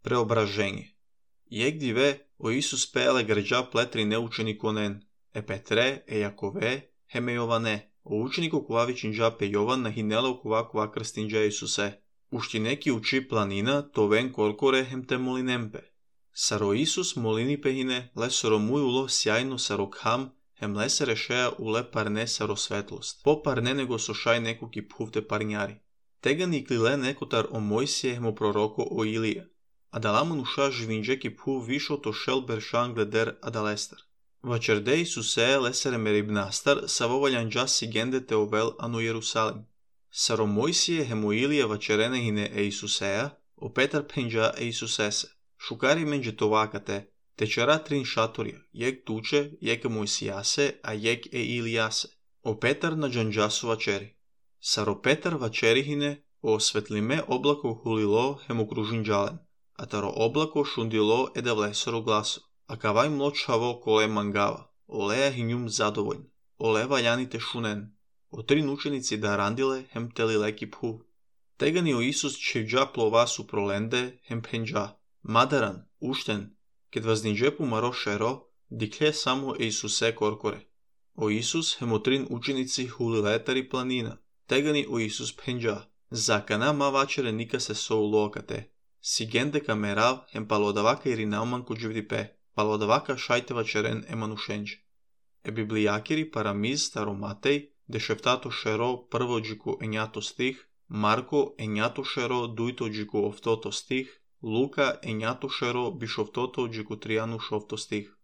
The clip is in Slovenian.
Преображение. Јек диве о Исус пееле грџа плетри неучениконен, Петре, Јакове, хеме Јоване, о ученико кова вичинџа Јован на хинеле кова крстинџа Исусе. Ушти неки учи планина, товен коркоре хем те молинемпе. Саро Исус молини пехине, лесоро муј уло сјајно саро кхам, хем лесе решеа уле парне саро светлост. По парне него сошај неко ки пхувте парњари. Тега ни клиле некотар о Мојсие хемо пророко о Илија. Адаламон уша жвинџе ки пхув вишо то шел бершан гледер адалестар. Вачерде Исусе лесере мерибнастар, савовалјанџа сигенде те овел ано Јерусалим. Саро Мојсие хемо Илија вачерене хине Исусеа, о Петар пенџа Исусесе. Шукари менџе товакате, течера трин шаторија, јек туче, јек Мојсијасе, а јек Илијасе. О Петар на џанџасо вачери. Саро Петар вачери хине, о светлиме облако хулило хемо кружинџален, а таро облако шундило еде влесоро гласо. А кавај млочаво коле мангава, олеја хињум задовољн, оле ваљаните шунен. О трин ученици да рандиле хем тели леки пху. Тега ни о Исус чевџа плова су проленде хем пенџа. Мадаран, уштен, кед ваздинџе пумаро шеро, дикле само Исусе коркоре. О Исус хемо трин ученици хулилетари планина. Тега ни о Исус пенџа. Закана ма вачере ника се со улоакате. Сигенде камерав хем палодавака иринауман коџивдипе. Палодавака шајте вачерен еманушенџ. Библијакери парамиз старо Матеј, дешефтато шеро прво џику ењато стих, Марко ењато шеро дујто џику офтото стих, Лука ењато шеро бишофтото џику тријану шофто стих.